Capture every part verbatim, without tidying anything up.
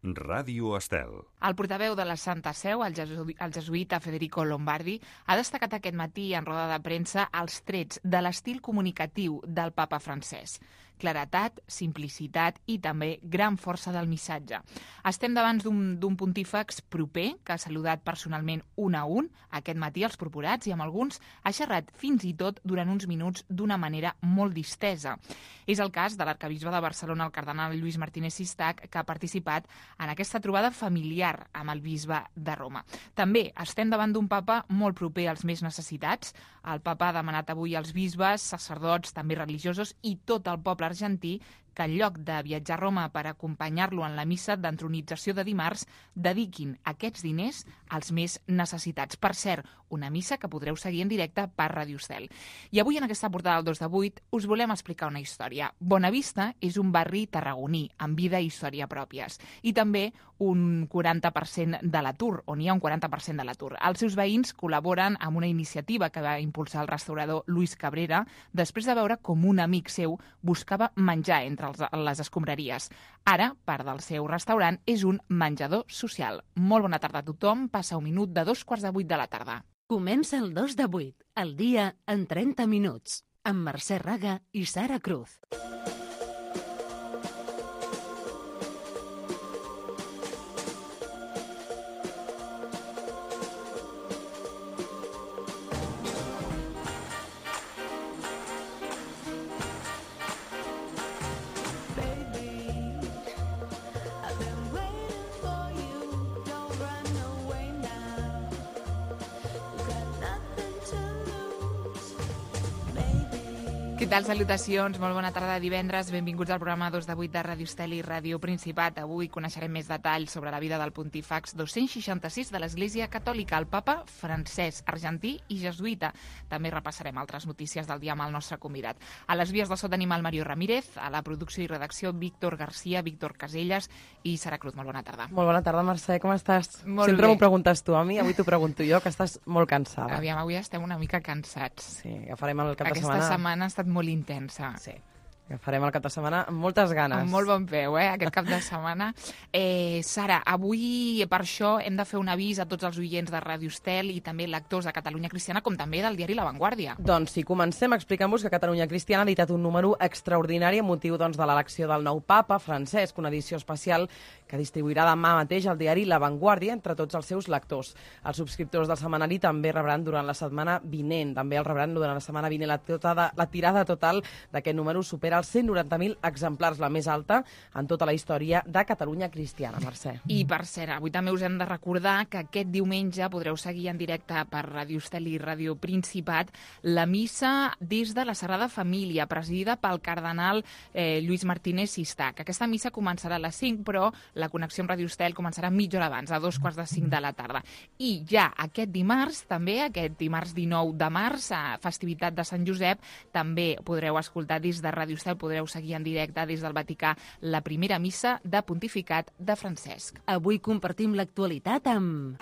Ràdio Estel. El portaveu de la Santa Seu, el, jesu el jesuïta Federico Lombardi, ha destacat aquest matí en roda de premsa els trets de l'estil comunicatiu del papa francès. Claretat, simplicitat i també gran força del missatge. Estem davant d'un pontífex proper que ha saludat personalment un a un aquest matí als proporats i amb alguns ha xerrat fins i tot durant uns minuts d'una manera molt distesa. És el cas de l'arcabisbe de Barcelona, el cardenal Lluís Martínez Sistac, que ha participat en aquesta trobada familiar amb el bisbe de Roma. També estem davant d'un papa molt proper als més necessitats. El papa ha demanat avui als bisbes, sacerdots, també religiosos i tot el poble argentí que en lloc de viatjar a Roma per acompanyar-lo en la missa d'entronització de dimarts, dediquin aquests diners als més necessitats. Per cert, una missa que podreu seguir en directe per Ràdio Estel. I avui en aquesta portada del dos de vuit us volem explicar una història. Bonavista és un barri tarragoní, amb vida i història pròpies, i també un quaranta per cent de l'atur, on hi ha un quaranta per cent de l'atur. Els seus veïns col·laboren amb una iniciativa que va impulsar el restaurador Luis Cabrera després de veure com un amic seu buscava menjar entre les escombraries. Ara, part del seu restaurant és un menjador social. Molt bona tarda a tothom. Passa un minut de dos quarts de vuit de la tarda. Comença el dos de vuit, el dia en trenta minuts, amb Mercè Raga i Sara Cruz. Què tal? Salutacions, molt bona tarda de divendres, benvinguts al programa dos de vuit de Ràdio Estel i Ràdio Principat. Avui coneixerem més detalls sobre la vida del pontífex dos-cents seixanta-sis de l'Església Catòlica, el papa francès, argentí i jesuïta. També repassarem altres notícies del dia amb el nostre convidat. A les vies del so tenim el Mario Ramírez, a la producció i redacció Víctor Garcia, Víctor Caselles i Sara Cruz. Molt bona tarda. Molt bona tarda, Mercè, com estàs? Molt Sempre bé. m'ho preguntes tu a mi, avui t'ho pregunto jo, que estàs molt cansada. Aviam, avui estem una mica cansats. Sí, agafarem el cap de Aquesta setmana. setmana ha estat molt intensa. Sí, agafarem el cap de setmana amb moltes ganes. Amb molt bon peu, eh, aquest cap de setmana. Eh, Sara, avui per això hem de fer un avís a tots els oients de Ràdio Estel i també lectors de Catalunya Cristiana, com també del diari La Vanguardia. Doncs sí, comencem explicant-vos que Catalunya Cristiana ha editat un número extraordinari amb motiu doncs, de l'elecció del nou papa, Francesc, una edició especial que distribuirà demà mateix al diari La Vanguardia entre tots els seus lectors. Els subscriptors del setmanari també rebran durant la setmana vinent, també el rebran durant la setmana vinent. La, tota, la tirada total d'aquest número supera els cent noranta mil exemplars, la més alta en tota la història de Catalunya Cristiana, Mercè. I per cert, avui també us hem de recordar que aquest diumenge podreu seguir en directe per Ràdio Estel i Ràdio Principat la missa des de la Sagrada Família, presidida pel cardenal eh, Lluís Martínez Sistac. Aquesta missa començarà a les cinc, però la connexió amb Ràdio Estel començarà mitja hora abans, a dos quarts de cinc de la tarda. I ja aquest dimarts, també, aquest dimarts dinou de març, a festivitat de Sant Josep, també podreu escoltar des de Ràdio Estel, podreu seguir en directe des del Vaticà la primera missa de pontificat de Francesc. Avui compartim l'actualitat amb...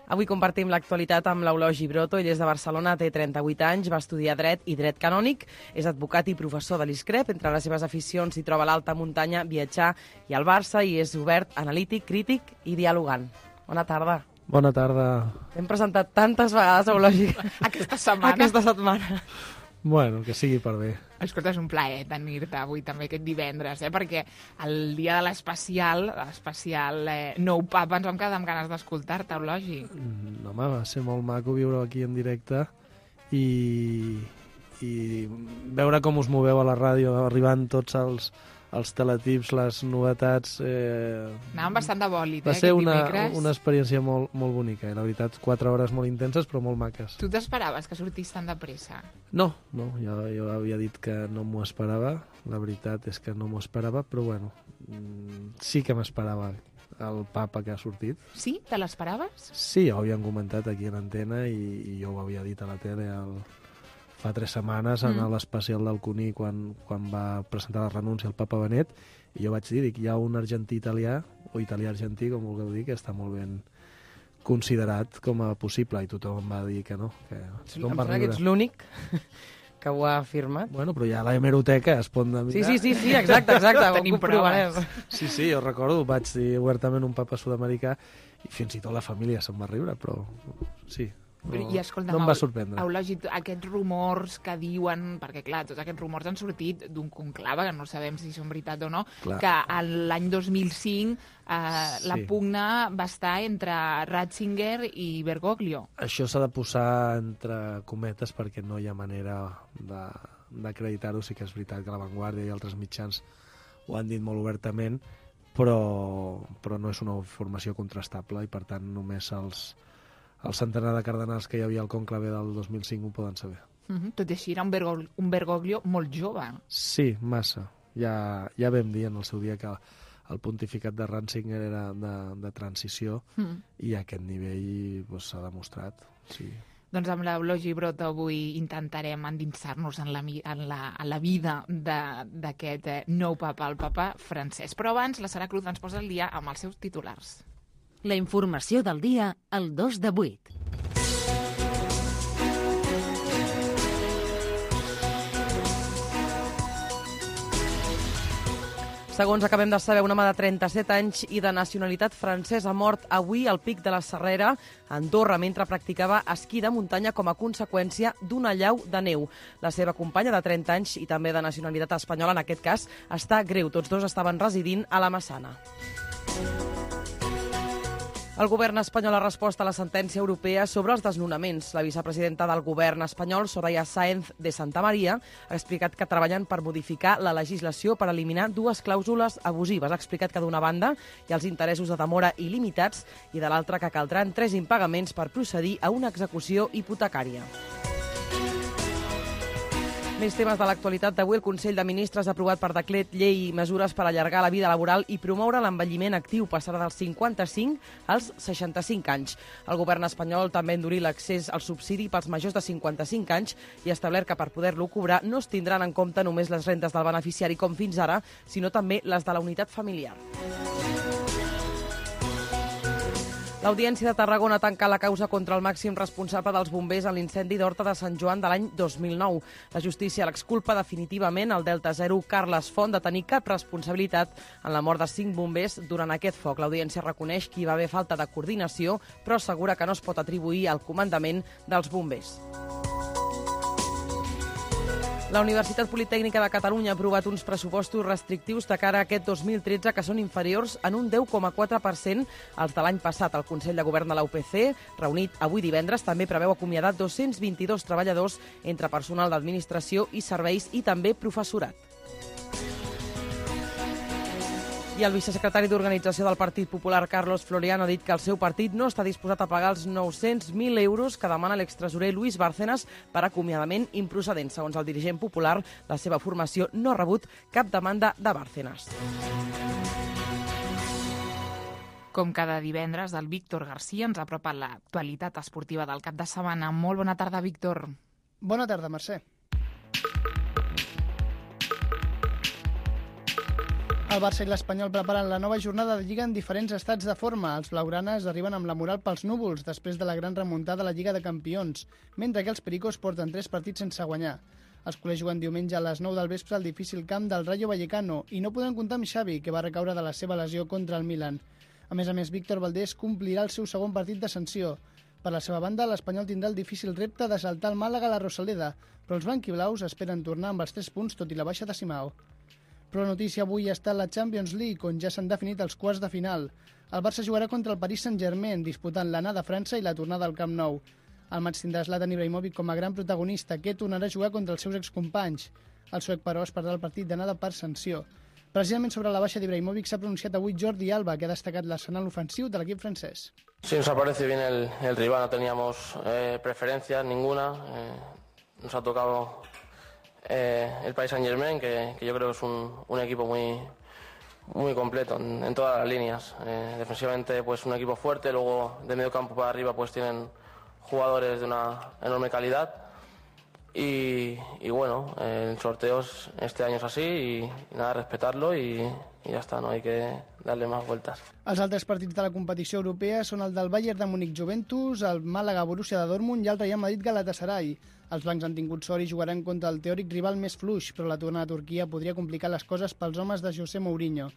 Avui compartim l'actualitat amb l'Eulogi Broto. Ell és de Barcelona, té trenta-vuit anys, va estudiar dret i dret canònic, és advocat i professor de l'ISCREP. Entre les seves aficions s'hi troba l'alta muntanya, viatjar i el Barça, i és obert, analític, crític i dialogant. Bona tarda. Bona tarda. T'hem presentat tantes vegades, Eulogi, Aquesta setmana. aquesta setmana. Bueno, que sigui per bé. Escolta, és un plaer tenir-te avui també aquest divendres, eh? Perquè el dia de l'especial, l'especial eh, nou papa, ens vam quedar amb ganes d'escoltar-te, Eulogi. Mm, home, va ser molt maco viure aquí en directe i, i veure com us moveu a la ràdio, arribant tots els, els teletips, les novetats... Eh... Anàvem bastant de bòlit, eh, va ser aquest una, dimecres. una experiència molt, molt bonica, i la veritat, quatre hores molt intenses però molt maques. Tu t'esperaves que sortís tan de pressa? No, no, jo, jo havia dit que no m'ho esperava, la veritat és que no m'ho esperava, però bueno, sí que m'esperava el papa que ha sortit. Sí? Te l'esperaves? Sí, ho havien comentat aquí a l'antena i, i jo ho havia dit a la tele al... fa tres setmanes en Mm. l'especial del Cuní quan, quan va presentar la renúncia al papa Benet, i jo vaig dir, dic, hi ha un argentí italià o italià argentí, com vulgueu dir, que està molt ben considerat com a possible, i tothom va dir que no. Que em sembla que ets l'únic que ho ha afirmat. Bueno, però ja a la hemeroteca es pot mirar. Sí, sí, sí, sí, exacte, exacte. Tenim proves. Sí, sí, jo recordo, vaig dir obertament un papa sud-americà i fins i tot la família se'n va riure, però sí. No, I escolta, no em va sorprendre. Eulogi, aquests rumors que diuen, perquè clar, tots aquests rumors han sortit d'un conclave, que no sabem si són veritat o no, clar. Que l'any dos mil cinc eh, sí. La pugna va estar entre Ratzinger i Bergoglio. Això s'ha de posar entre cometes perquè no hi ha manera d'acreditar-ho. Sí que és veritat que La Vanguardia i altres mitjans ho han dit molt obertament, però, però no és una informació contrastable i per tant només els el centenar de cardenals que hi havia al conclave del dos mil cinc ho poden saber. Uh-huh. Tot i així era un, Bergoglio, un Bergoglio molt jove. Sí, massa. Ja, ja vam dir en el seu dia que el pontificat de Ratzinger era de, de transició uh-huh. i a aquest nivell doncs, s'ha demostrat. Sí. Doncs amb l'Eulogi Broto avui intentarem endinsar-nos en la, en la, en la vida d'aquest eh, nou papa, el papa Francesc. Però abans la Sara Cruz ens posa el dia amb els seus titulars. La informació del dia al dos de vuit. Segons acabem de saber, un home de trenta-set anys i de nacionalitat francès ha mort avui al Pic de la Serrera, a Andorra, mentre practicava esquí de muntanya com a conseqüència d'una allau de neu. La seva companya de trenta anys i també de nacionalitat espanyola, en aquest cas, està greu. Tots dos estaven residint a la Massana. El govern espanyol ha respost a la sentència europea sobre els desnonaments. La vicepresidenta del govern espanyol, Soraya Sáenz de Santamaría, ha explicat que treballen per modificar la legislació per eliminar dues clàusules abusives. Ha explicat que d'una banda hi ha els interessos de demora il·limitats i de l'altra que caldran tres impagaments per procedir a una execució hipotecària. Més temes de l'actualitat d'avui. El Consell de Ministres ha aprovat per decret llei mesures per allargar la vida laboral i promoure l'envelliment actiu, passarà dels cinquanta-cinc als seixanta-cinc anys. El govern espanyol també ha endurit l'accés al subsidi pels majors de cinquanta-cinc anys i ha establert que per poder-lo cobrar no es tindran en compte només les rendes del beneficiari com fins ara, sinó també les de la unitat familiar. L'Audiència de Tarragona ha tancat la causa contra el màxim responsable dels bombers en l'incendi d'Horta de Sant Joan de l'any dos mil nou. La justícia l'exculpa definitivament al Delta Zero Carles Font de tenir cap responsabilitat en la mort de cinc bombers durant aquest foc. L'Audiència reconeix que hi va haver falta de coordinació, però assegura que no es pot atribuir al comandament dels bombers. La Universitat Politècnica de Catalunya ha aprovat uns pressupostos restrictius de cara a aquest dos mil tretze que són inferiors en un deu coma quatre per cent als de l'any passat. El Consell de Govern de la U P C, reunit avui divendres, també preveu acomiadar dos-cents vint-i-dos treballadors entre personal d'administració i serveis i també professorat. I el vicesecretari d'Organització del Partit Popular, Carlos Floriano, ha dit que el seu partit no està disposat a pagar els nou-cents mil euros que demana l'extresorer Luis Bárcenas per acomiadament improcedent. Segons el dirigent popular, la seva formació no ha rebut cap demanda de Bárcenas. Com cada divendres, el Víctor García ens ha apropat l'actualitat esportiva del cap de setmana. Molt bona tarda, Víctor. Bona tarda, Mercè. El Barça i l'Espanyol preparen la nova jornada de Lliga en diferents estats de forma. Els blaugranes arriben amb la moral pels núvols després de la gran remuntada a la Lliga de Campions, mentre que els pericos porten tres partits sense guanyar. Els culers juguen diumenge a les nou del vespre al difícil camp del Rayo Vallecano i no podran comptar amb Xavi, que va recaure de la seva lesió contra el Milan. A més a més, Víctor Valdés complirà el seu segon partit de sanció. Per la seva banda, l'Espanyol tindrà el difícil repte de saltar el Màlaga a la Rosaleda, però els blanquiblaus esperen tornar amb els tres punts tot i la baixa de Simao. Però la notícia avui està a la Champions League, on ja s'han definit els quarts de final. El Barça jugarà contra el Paris Saint-Germain, disputant l'anada a França i la tornada al Camp Nou. El maig tindrà Zlatan Ibrahimovic com a gran protagonista, que tornarà a jugar contra els seus excompanys. El suec, però, es perdrà el partit d'anada per sanció. Precisament sobre la baixa d'Ibrahimovic s'ha pronunciat avui Jordi Alba, que ha destacat l'arsenal ofensiu de l'equip francès. Sí, nos aparece bien el, el rival, no teníamos eh, preferencias ninguna. Eh, nos ha tocado Eh, el Paris Saint-Germain, que, que yo creo que es un, un equipo muy, muy completo en, en todas las líneas. Eh, defensivamente, pues un equipo fuerte, luego de medio campo para arriba pues tienen jugadores de una enorme calidad y, y bueno, el sorteo este año es así y, y nada, respetarlo y, y ya está, no hay que darle más vueltas. Els altres partits de la competició europea són el del Bayern de Múnich Juventus, el Màlaga Borussia de Dortmund i el Real Madrid Galatasaray. Els blancs han tingut sort i jugaran contra el teòric rival més fluix, però la tornada a Turquia podria complicar les coses pels homes de José Mourinho.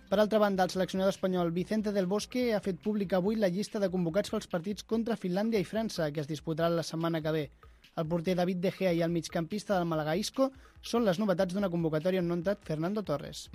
Per altra banda, el seleccionador espanyol Vicente del Bosque ha fet pública avui la llista de convocats pels partits contra Finlàndia i França, que es disputaran la setmana que ve. El porter David De Gea i el migcampista del Màlaga Isco són les novetats d'una convocatòria on no ha entrat Fernando Torres.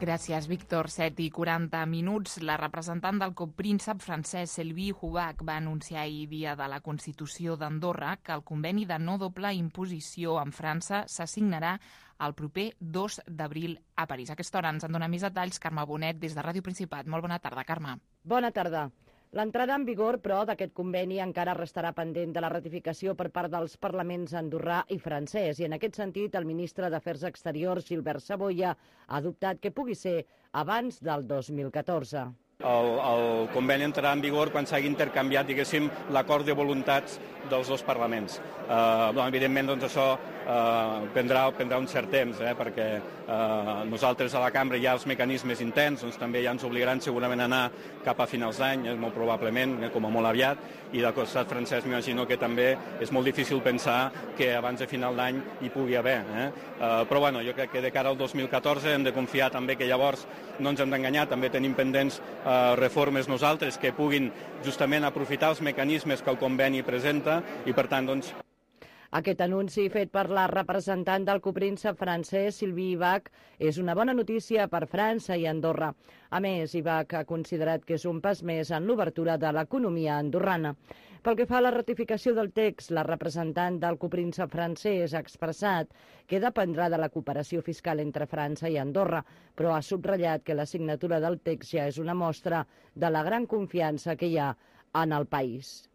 Gràcies, Víctor. set i quaranta minuts. La representant del copríncep francès Sylvie Hubach va anunciar ahir, dia de la Constitució d'Andorra, que el conveni de no doble imposició amb França s'assignarà el proper dos d'abril a París. A aquesta hora ens en dona més detalls Carme Bonet des de Ràdio Principat. Molt bona tarda, Carme. Bona tarda. L'entrada en vigor, però, d'aquest conveni encara restarà pendent de la ratificació per part dels parlaments andorrà i francès. I en aquest sentit, el ministre d'Afers Exteriors, Gilbert Savoia, ha dubtat que pugui ser abans del dos mil catorze. El, el conveni entrarà en vigor quan s'hagi intercanviat, diguéssim, l'acord de voluntats dels dos parlaments. Eh, doncs, evidentment, doncs, això eh, prendrà, prendrà un cert temps, eh, perquè eh, nosaltres a la cambra hi ha els mecanismes interns, doncs també ja ens obligaran segurament a anar cap a finals d'any, eh, molt probablement, eh, com a molt aviat, i del costat francès m'imagino que també és molt difícil pensar que abans de final d'any hi pugui haver. Eh? Eh, però bueno, jo crec que de cara al dos mil catorze hem de confiar també que llavors no ens hem d'enganyar, també tenim pendents eh, reformes nosaltres que puguin justament aprofitar els mecanismes que el conveni presenta i per tant doncs Aquest anunci fet per la representant del copríncep francès, Sylvie Hubach, és una bona notícia per França i Andorra. A més, Hubach ha considerat que és un pas més en l'obertura de l'economia andorrana. Pel que fa a la ratificació del text, la representant del copríncep francès ha expressat que dependrà de la cooperació fiscal entre França i Andorra, però ha subratllat que la signatura del text ja és una mostra de la gran confiança que hi ha en el país.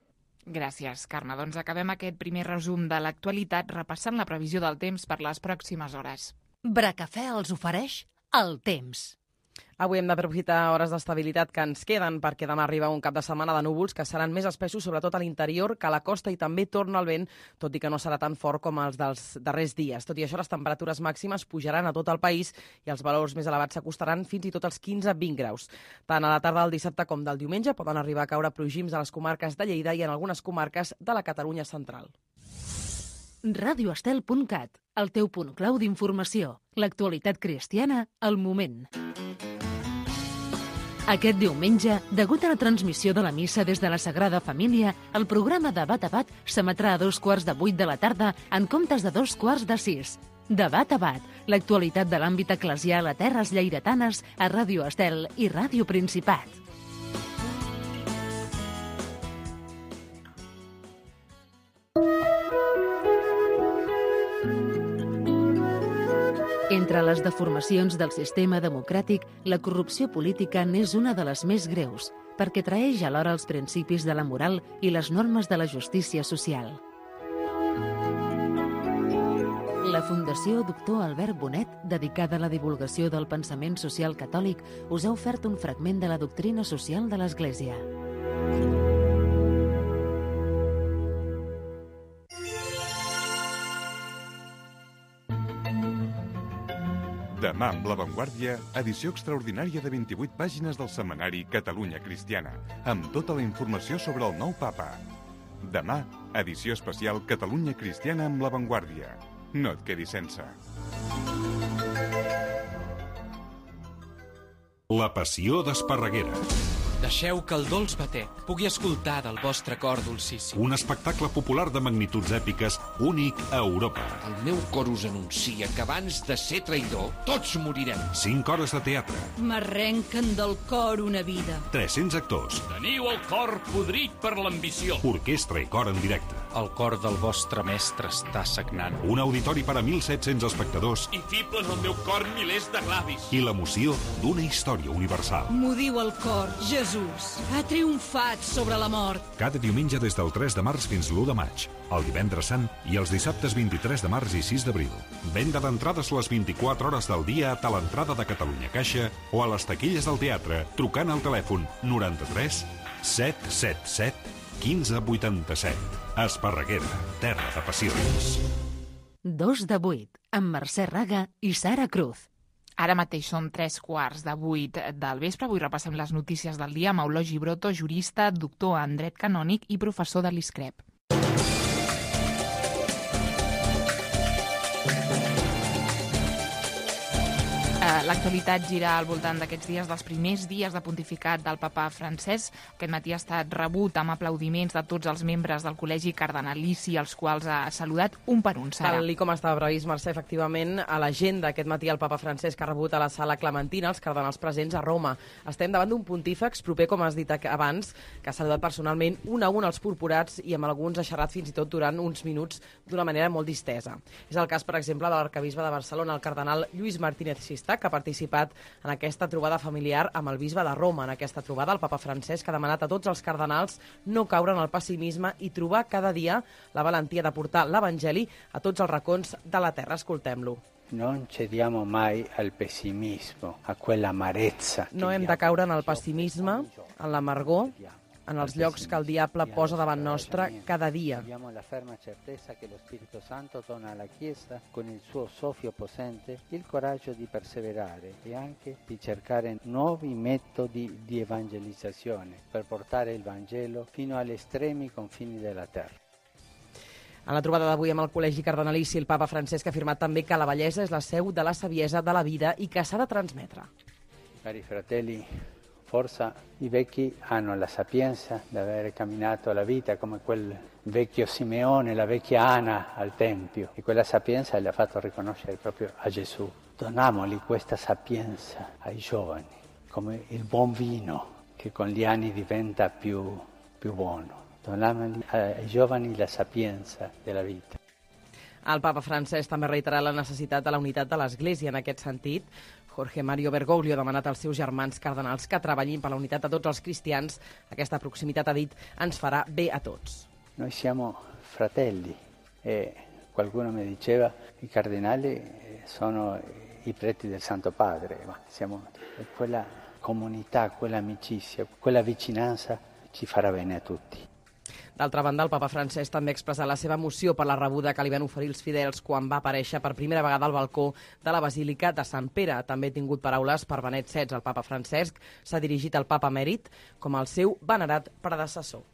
Gràcies, Carme. Doncs acabem aquest primer resum de l'actualitat repassant la previsió del temps per les pròximes hores. Bracafè els ofereix el temps. Avui hem d'aprofitar hores d'estabilitat que ens queden perquè demà arriba un cap de setmana de núvols que seran més espessos, sobretot a l'interior, que a la costa, i també torna el vent, tot i que no serà tan fort com els dels darrers dies. Tot i això, les temperatures màximes pujaran a tot el país i els valors més elevats s'acostaran fins i tot als quinze a vint graus. Tant a la tarda del dissabte com del diumenge poden arribar a caure plogims a les comarques de Lleida i en algunes comarques de la Catalunya central. radioestel punt cat, el teu punt clau d'informació. L'actualitat cristiana al moment. Aquest diumenge, degut a la transmissió de la missa des de la Sagrada Família, el programa Debat a Bat s'emetrà a dos quarts de vuit de la tarda en comptes de dos quarts de sis. Debat a Bat, l'actualitat de l'àmbit eclesial a terres lleiretanes a Ràdio Estel i Ràdio Principat. Entre les deformacions del sistema democràtic, la corrupció política n'és una de les més greus, perquè traeix alhora els principis de la moral i les normes de la justícia social. La Fundació Doctor Albert Bonet, dedicada a la divulgació del pensament social catòlic, us ha ofert un fragment de la doctrina social de l'Església. Demà amb La Vanguardia, edició extraordinària de vint-i-vuit pàgines del setmanari Catalunya Cristiana, amb tota la informació sobre el nou papa. Demà, edició especial Catalunya Cristiana amb La Vanguardia. No et quedis sense. La passió d'Esparreguera. Deixeu que el dolç batec pugui escoltar del vostre cor dolcíssim. Un espectacle popular de magnituds èpiques únic a Europa. El meu cor us anuncia que abans de ser traïdor, tots morirem. Cinc hores de teatre. M'arrenquen del cor una vida. tres-cents actors. Teniu el cor podrit per l'ambició. Orquestra i cor en directe. El cor del vostre mestre està sagnant. Un auditori per a mil set-cents espectadors. I fiblen al meu cor milers de glavis. I l'emoció d'una història universal. M'ho diu el cor, Jesús ha triomfat sobre la mort. Cada diumenge des del tres de març fins l'u de maig, el divendres sant i els dissabtes vint-i-tres de març i sis d'abril. Venda d'entrades les vint-i-quatre hores del dia a l'entrada de Catalunya Caixa o a les taquilles del teatre trucant al telèfon noranta-tres set set set quinze vuitanta-set. Esparreguera, terra de passions. Dos de vuit, amb Mercè Raga i Sara Cruz. Ara mateix són tres quarts de vuit del vespre. Avui repassem les notícies del dia amb Eulogi Broto, jurista, doctor en dret canònic i professor de l'I S C R E P. L'actualitat gira al voltant d'aquests dies, dels primers dies de pontificat del papa Francesc. Aquest matí ha estat rebut amb aplaudiments de tots els membres del Col·legi Cardenalici, els quals ha saludat un per un, Sara. Tal com estava previst, Mercè, efectivament, a l'agenda aquest matí el papa Francesc ha rebut a la sala Clementina els cardenals presents a Roma. Estem davant d'un pontífex proper, com has dit abans, que ha saludat personalment un a un els purpurats i amb alguns ha xerrat fins i tot durant uns minuts d'una manera molt distesa. És el cas, per exemple, de l'arcabisbe de Barcelona, el cardenal Lluís Martínez Xista, que ha participat en aquesta trobada familiar amb el bisbe de Roma. En aquesta trobada, el papa Francesc ha demanat a tots els cardenals no caure en el pessimisme i trobar cada dia la valentia de portar l'Evangeli a tots els racons de la terra. Escoltem-lo. Non cediamo mai al pessimismo, a quell'amarezza. No hem de caure en el pessimisme, en l'amargor, en els llocs que el diable posa davant nostre cada dia. Abbiamo la ferma certezza che lo Spirito Santo dona alla Chiesa, con il suo soffio possente, il coraggio di perseverare e anche di cercare nuovi metodi di evangelizzazione per portare il Vangelo fino agli estremi confini della terra. En la trobada d'avui amb el Col·legi Cardenalici, el papa Francesc ha afirmat també que la bellesa és la seu de la saviesa de la vida i que s'ha de transmetre. Cari fratelli, forse i vecchi hanno la sapienza di aver camminato la vita come quel vecchio Simeone, la vecchia Ana al Tempio, e quella sapienza le ha fatto riconoscere proprio a Gesù. Donamoli questa sapienza ai giovani, come il buon vino che con gli anni diventa più, più buono. Donamoli ai giovani la sapienza della vita. El papa Francesc també ha reiterat la necessitat de la unitat de l'Església. En aquest sentit, Jorge Mario Bergoglio ha demanat als seus germans cardenals que treballin per la unitat de tots els cristians. Aquesta proximitat, ha dit, ens farà bé a tots. Noi siamo fratelli e qualcuno mi diceva i cardinali sono i preti del Santo Padre, ma siamo quella comunità, quella amicizia, quella vicinanza ci farà bene a tutti. D'altra banda, el papa Francesc també ha expressat la seva emoció per la rebuda que li van oferir els fidels quan va aparèixer per primera vegada al balcó de la Basílica de Sant Pere. També ha tingut paraules per Benet setze. El papa Francesc s'ha dirigit al papa emèrit com el seu venerat predecessor.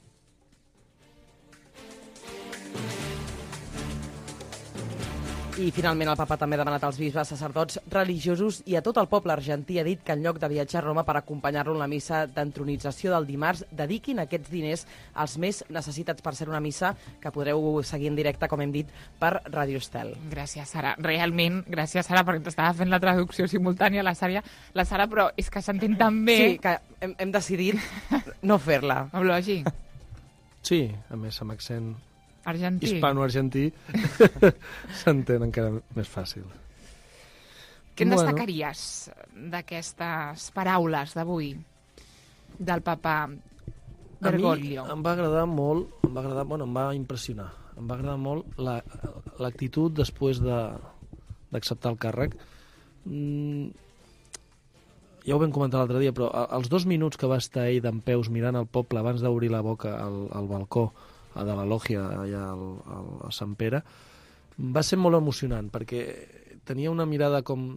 I finalment el papa també ha demanat als bisbes, sacerdots, religiosos i a tot el poble argentí. Ha dit que en lloc de viatjar a Roma per acompanyar-lo en la missa d'entronització del dimarts, dediquin aquests diners als més necessitats, per ser una missa que podreu seguir en directe, com hem dit, per Radio Estel. Gràcies, Sara. Realment, gràcies, Sara, perquè t'estava fent la traducció simultània, la Sara, la Sara, però és que s'entén tan bé. Sí, que hem, hem decidit no fer-la. Eulogi. Sí, a més, amb accent argentí. Hispano-argentí s'entén encara més fàcil. Què en bueno. destacaries d'aquestes paraules d'avui del papa Bergoglio? A mi em va agradar molt, em va agradar, bueno, em va impressionar, em va agradar molt la, l'actitud després de, d'acceptar el càrrec. Mm, ja ho vam comentar l'altre dia, però els dos minuts que va estar ell dempeus mirant el poble abans d'obrir la boca al, al balcó de la lògia allà al, al, a Sant Pere, va ser molt emocionant, perquè tenia una mirada com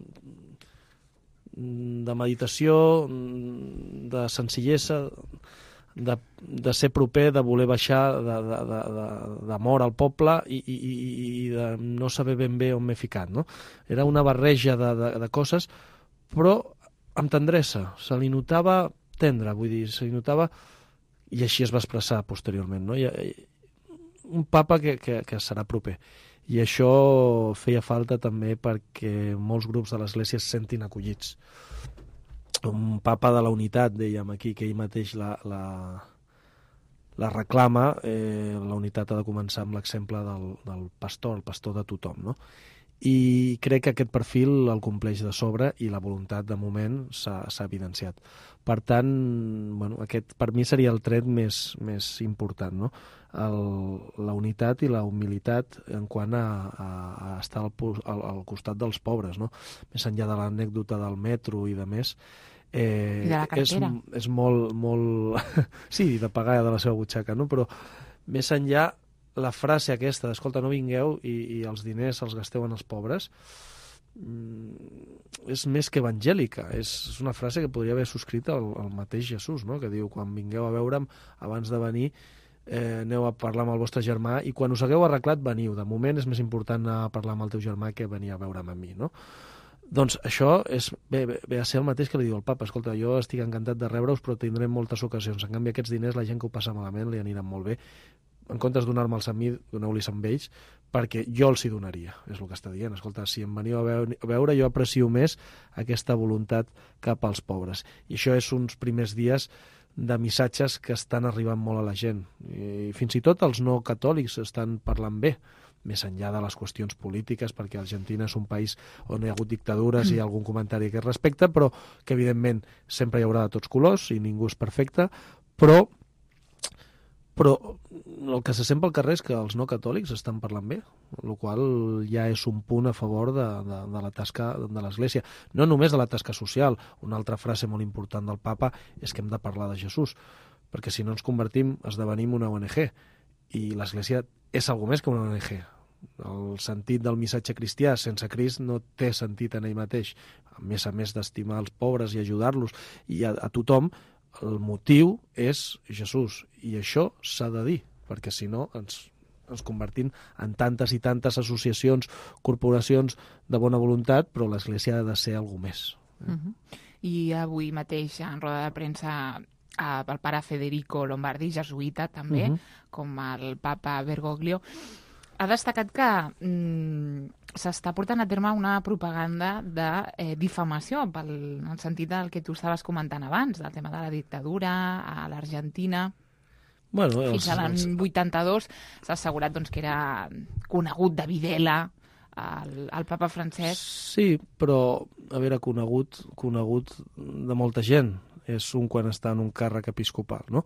de meditació, de senzillesa, de, de ser proper, de voler baixar d'amor al poble i, i, i de no saber ben bé on m'he ficat, no? Era una barreja de, de, de coses, però amb tendresa, se li notava tendre, vull dir, se li notava. I així es va expressar posteriorment, no? I, un papa que, que, que serà proper. I això feia falta també perquè molts grups de l'Església es sentin acollits. Un papa de la unitat, dèiem aquí, que ell mateix la, la, la reclama. Eh, la unitat ha de començar amb l'exemple del, del pastor, el pastor de tothom, no? I crec que aquest perfil el compleix de sobre i la voluntat de moment s'ha evidenciat. Per tant, bueno, aquest per mi seria el tret més, més important, no? El, la unitat i la humilitat en quant a, a, a estar al, al, al costat dels pobres, no? Més enllà de l'anècdota del metro i de més, Eh, I de la cartera. És, és molt... molt... sí, de pagar de la seva butxaca, no? Però més enllà, la frase aquesta d'escolta, no vingueu i, i els diners els gasteu en els pobres, és més que evangèlica. És, és una frase que podria haver subscrit el, el mateix Jesús, no? Que diu, quan vingueu a veure'm, abans de venir, eh, aneu a parlar amb el vostre germà i quan us hagueu arreglat, veniu. De moment és més important anar a parlar amb el teu germà que venir a veure'm a mi, no? Doncs això és, ve, ve a ser el mateix que li diu el papa. Escolta, jo estic encantat de rebre-us, però tindrem moltes ocasions. En canvi, aquests diners, la gent que ho passa malament, li aniran molt bé. En comptes de donar-me'ls a mi, doneu-los amb ells, perquè jo els hi donaria, és el que està dient. Escolta, si em veniu a veure, jo aprecio més aquesta voluntat cap als pobres. I això és uns primers dies de missatges que estan arribant molt a la gent. I fins i tot els no catòlics estan parlant bé, més enllà de les qüestions polítiques, perquè Argentina és un país on hi ha hagut dictadures i hi ha algun comentari que es respecta, però que evidentment sempre hi haurà de tots colors i ningú és perfecte, però però el que se sent pel carrer és que els no catòlics estan parlant bé, el qual ja és un punt a favor de, de, de la tasca de l'Església. No només de la tasca social. Una altra frase molt important del papa és que hem de parlar de Jesús, perquè si no ens convertim, esdevenim una O N G, i l'Església és algo més que una O N G. El sentit del missatge cristià sense Crist no té sentit en ell mateix. A més a més d'estimar els pobres i ajudar-los i a, a tothom, el motiu és Jesús, i això s'ha de dir, perquè si no ens, ens convertim en tantes i tantes associacions, corporacions de bona voluntat, però l'Església ha de ser alguna més. Eh? Uh-huh. I avui mateix, en roda de premsa, eh, el pare Federico Lombardi, jesuïta també, uh-huh. com el papa Bergoglio, ha destacat que mm, s'està portant a terme una propaganda de eh, difamació, pel, en el sentit del que tu estaves comentant abans, del tema de la dictadura a l'Argentina. Bueno, els, Fins a l'any els... vuitanta-dos s'ha assegurat doncs, que era conegut de Videla el, el papa francès. Sí, però, a veure, conegut, conegut de molta gent. És un quan està en un càrrec episcopal, no?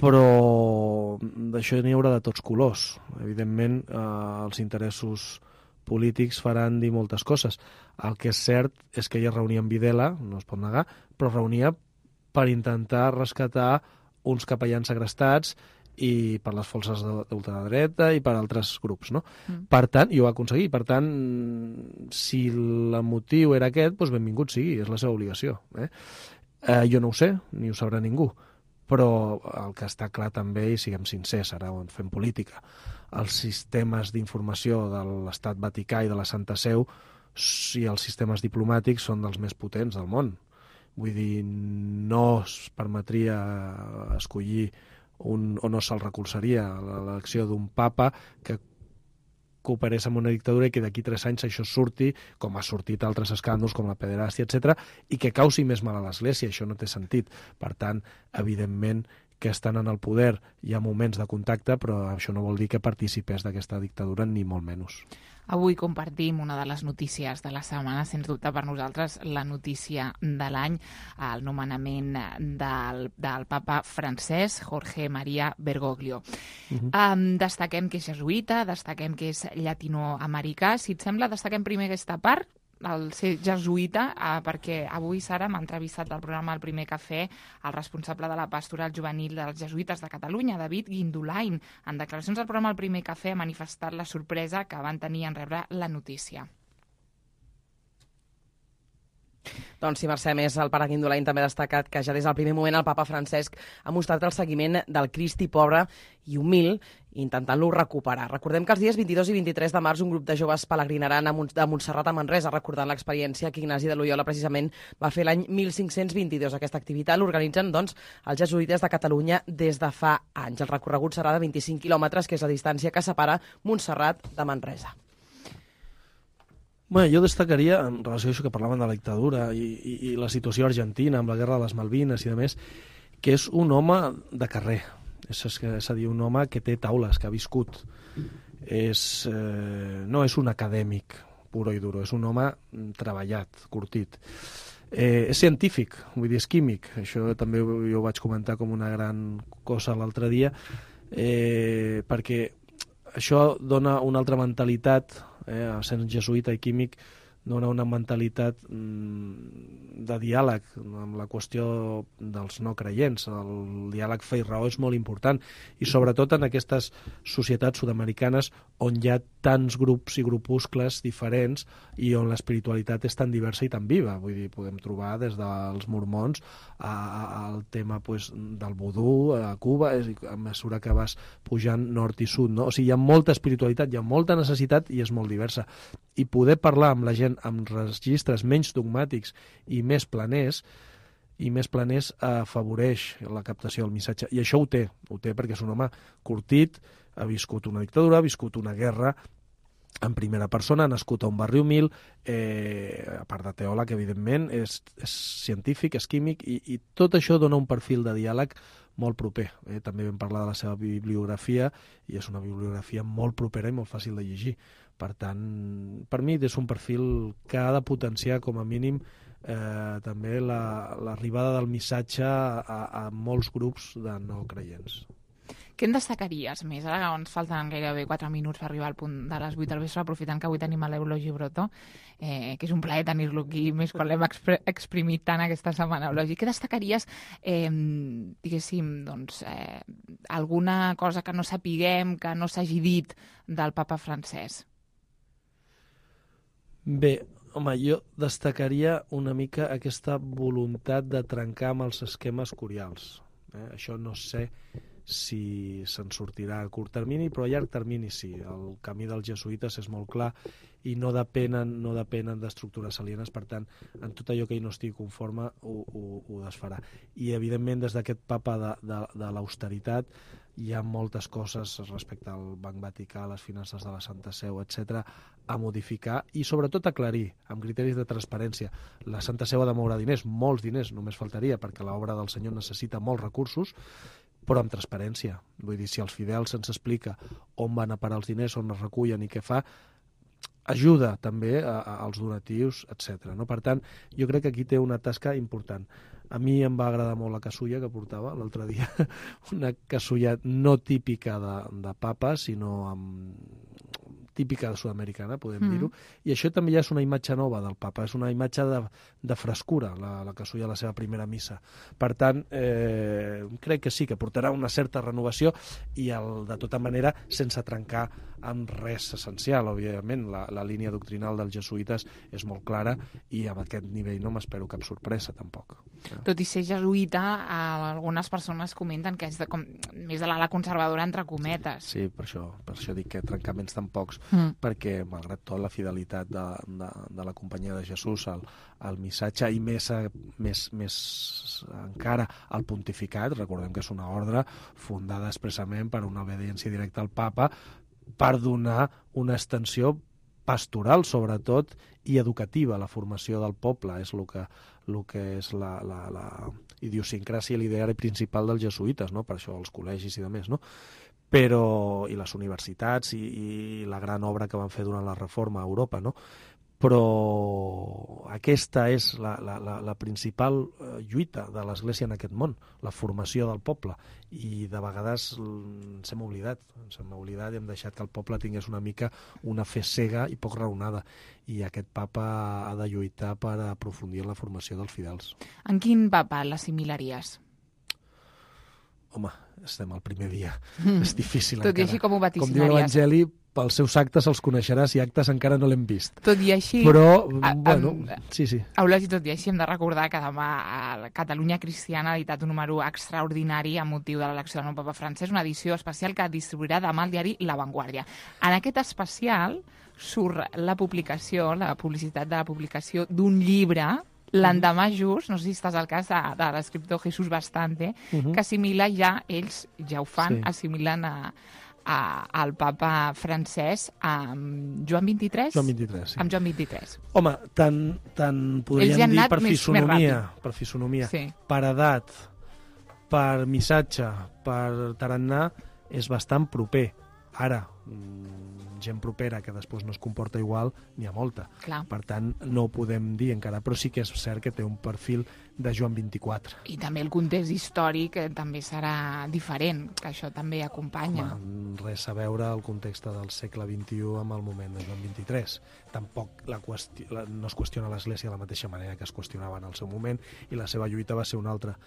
Però d'això n'hi haurà de tots colors. Evidentment, eh, els interessos polítics faran dir moltes coses. El que és cert és que ella reunia amb Videla, no es pot negar, però reunia per intentar rescatar uns capellans segrestats i per les forces d'ultradreta i per altres grups, no? Mm. Per tant, i ho va aconseguir. Per tant, si el motiu era aquest, doncs benvingut sigui, és la seva obligació. Eh? Eh, jo no ho sé, ni ho sabrà ningú. Però el que està clar també, i siguem sincers, ara on fem política, els sistemes d'informació de l'Estat Vaticà i de la Santa Seu i els sistemes diplomàtics són dels més potents del món. Vull dir, no es permetria escollir un, o no se'l recolzaria l'elecció d'un papa que cooperés amb una dictadura i que d'aquí tres anys això surti, com ha sortit altres escàndols com la pederàstia, etcètera, i que causi més mal a l'Església. Això no té sentit. Per tant, evidentment que estan en el poder, hi ha moments de contacte, però això no vol dir que participés d'aquesta dictadura, ni molt menys. Avui compartim una de les notícies de la setmana, sens dubte per nosaltres la notícia de l'any, el nomenament del, del papa francès, Jorge María Bergoglio. Uh-huh. Um, destaquem que és jesuïta, destaquem que és llatinoamericà. Si et sembla, destaquem primer aquesta part, el ser jesuïta, eh, perquè avui, Sara, m'ha entrevistat al programa El Primer Cafè el responsable de la pastoral juvenil dels jesuïtes de Catalunya, David Guindulain. En declaracions al programa El Primer Cafè ha manifestat la sorpresa que van tenir en rebre la notícia. Doncs sí, Mercè, més el pare Guindulain també ha destacat que ja des del primer moment el papa Francesc ha mostrat el seguiment del Cristi pobre i humil, intentant-lo recuperar. Recordem que els dies vint-i-dos i vint-i-tres de març un grup de joves pelegrinaran a Montserrat a Manresa, recordant l'experiència que Ignasi de Loyola precisament va fer l'any mil cinc-cents vint-i-dos. Aquesta activitat l'organitzen doncs, els jesuïtes de Catalunya des de fa anys. El recorregut serà de vint-i-cinc quilòmetres, que és la distància que separa Montserrat de Manresa. Bé, jo destacaria, en relació a això que parlaven de la dictadura i, i, i la situació argentina amb la guerra de les Malvines i de més, que és un home de carrer. És, és a dir, un home que té taules, que ha viscut. És, eh, no és un acadèmic puro i duro, és un home treballat, curtit. Eh, és científic, vull dir, és químic. Això també jo ho vaig comentar com una gran cosa l'altre dia, eh, perquè això dona una altra mentalitat, eh, sent jesuïta i químic, dona una mentalitat mm, de diàleg amb la qüestió dels no creients. El diàleg fe i raó és molt important, i sobretot en aquestes societats sud-americanes on hi ha tants grups i grupuscles diferents i on l'espiritualitat és tan diversa i tan viva. Vull dir, podem trobar des dels mormons al tema pues, del vudú a Cuba, és, a mesura que vas pujant nord i sud, no? O sigui, hi ha molta espiritualitat, hi ha molta necessitat i és molt diversa. I poder parlar amb la gent amb registres menys dogmàtics i més planers, i més planers afavoreix la captació del missatge. I això ho té, ho té perquè és un home curtit, ha viscut una dictadura, ha viscut una guerra en primera persona, ha nascut a un barri humil, eh, a part de teòleg, evidentment, és, és científic, és químic, i, i tot això dona un perfil de diàleg molt proper. Eh? També vam parlar de la seva bibliografia, i és una bibliografia molt propera i molt fàcil de llegir. Per tant, per mi és un perfil que ha de potenciar com a mínim eh, també l'arribada la, del missatge a, a molts grups de no creients. Què en destacaries més? Ara ens falten gairebé quatre minuts per arribar al punt de les vuit del vespre, aprofitant que avui tenim a l'Eulogi Broto, eh, que és un plaer tenir-lo aquí, més quan l'hem expr exprimit tant aquesta setmana, Eulogi. Què destacaries, eh, diguéssim, doncs, eh, alguna cosa que no sapiguem, que no s'hagi dit del papa Francesc? Bé, home, jo destacaria una mica aquesta voluntat de trencar amb els esquemes curials. Eh? Això no sé si se'n sortirà a curt termini, però a llarg termini sí. El camí dels jesuïtes és molt clar i no depenen, no depenen d'estructures alienes, per tant, en tot allò que ell no estigui conforme ho, ho, ho desfarà. I, evidentment, des d'aquest papa de, de, de l'austeritat hi ha moltes coses respecte al Banc Vaticà, les finances de la Santa Seu, etcètera, a modificar i sobretot aclarir amb criteris de transparència. La Santa Seu ha de moure diners, molts diners, només faltaria, perquè l'obra del Senyor necessita molts recursos, però amb transparència. Vull dir, si als fidels se'ns explica on van a parar els diners, on es recullen i què fa, ajuda també a, a, als donatius, etcètera. No? Per tant, jo crec que aquí té una tasca important. A mi em va agradar molt la casulla que portava l'altre dia, una casulla no típica de, de papa, sinó amb típica sud-americana, podem mm. dir-ho, i això també ja és una imatge nova del papa, és una imatge de, de frescura, la, la casulla a la seva primera missa. Per tant, eh, crec que sí, que portarà una certa renovació i, el, de tota manera, sense trencar amb res essencial, òbviament. La, la línia doctrinal dels jesuïtes és molt clara i amb aquest nivell no m'espero cap sorpresa, tampoc. Tot i ser jesuïta, algunes persones comenten que és de, com, més de l'ala conservadora, entre cometes. Sí, per això, per això dic que trencaments tan pocs, mm. perquè, malgrat tot, la fidelitat de, de, de la companyia de Jesús al, al missatge i més, més, més encara al pontificat, recordem que és una ordre fundada expressament per una obediència directa al papa, per donar una extensió pastoral, sobretot, i educativa a la formació del poble. És el que, el que és la, la, la idiosincràsia i l'ideari principal dels jesuïtes, no? Per això els col·legis i demés, no? Però, i les universitats i, i la gran obra que van fer durant la Reforma a Europa, no? Però aquesta és la, la, la, la principal lluita de l'Església en aquest món, la formació del poble, i de vegades ens hem oblidat, ens hem oblidat i hem deixat que el poble tingués una mica una fe cega i poc raonada, i aquest papa ha de lluitar per aprofundir en la formació dels fidels. En quin papa l'assimilaries? Home, estem al primer dia, mm. és difícil Tot encara. i així com ho vaticinaries? Com diu l'Evangeli, pels seus actes els coneixeràs i actes encara no l'hem vist. Tot i així... Però, a, bueno, a, sí, sí. Eulogi, tot i així hem de recordar que demà a Catalunya Cristiana ha editat un número extraordinari amb motiu de l'elecció del nou papa Francesc, una edició especial que distribuirà demà al diari La Vanguardia. En aquest especial surt la publicació, la publicitat de la publicació d'un llibre l'endemà just, no sé si estàs al cas de, de l'escriptor Jesús Bastante, uh-huh. que assimila ja, ells ja ho fan, sí. assimilen a, a, al papa Francesc amb Joan vint-i-tres? Joan vint-i-tres, sí. Amb Joan vint-i-tres. Home, tant, tant podríem dir per més, fisonomia, més per fisonomia, sí. per edat, per missatge, per tarannà, és bastant proper Ara, gent propera que després no es comporta igual, n'hi ha molta. Clar. Per tant, no ho podem dir encara, però sí que és cert que té un perfil de Joan vint-i-quatre. I també el context històric també serà diferent, que això també acompanya. Home, res a veure el context del segle vint-i-u amb el moment de Joan vint-i-tres. Tampoc la qüesti... la... no es qüestiona l'Església de la mateixa manera que es qüestionava en el seu moment, i la seva lluita va ser una altra.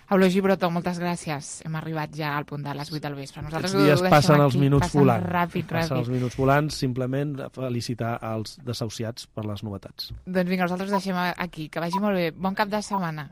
Eulogi Broto, moltes gràcies. Hem arribat ja al punt de les vuit del vespre. Nosaltres Aquests dies passen els minuts passen volant. Ràpid, ràpid. Passen els minuts volant, simplement felicitar els desahuciats per les novetats. Doncs vinga, nosaltres deixem aquí. Que vagi molt bé. Bon cap de setmana.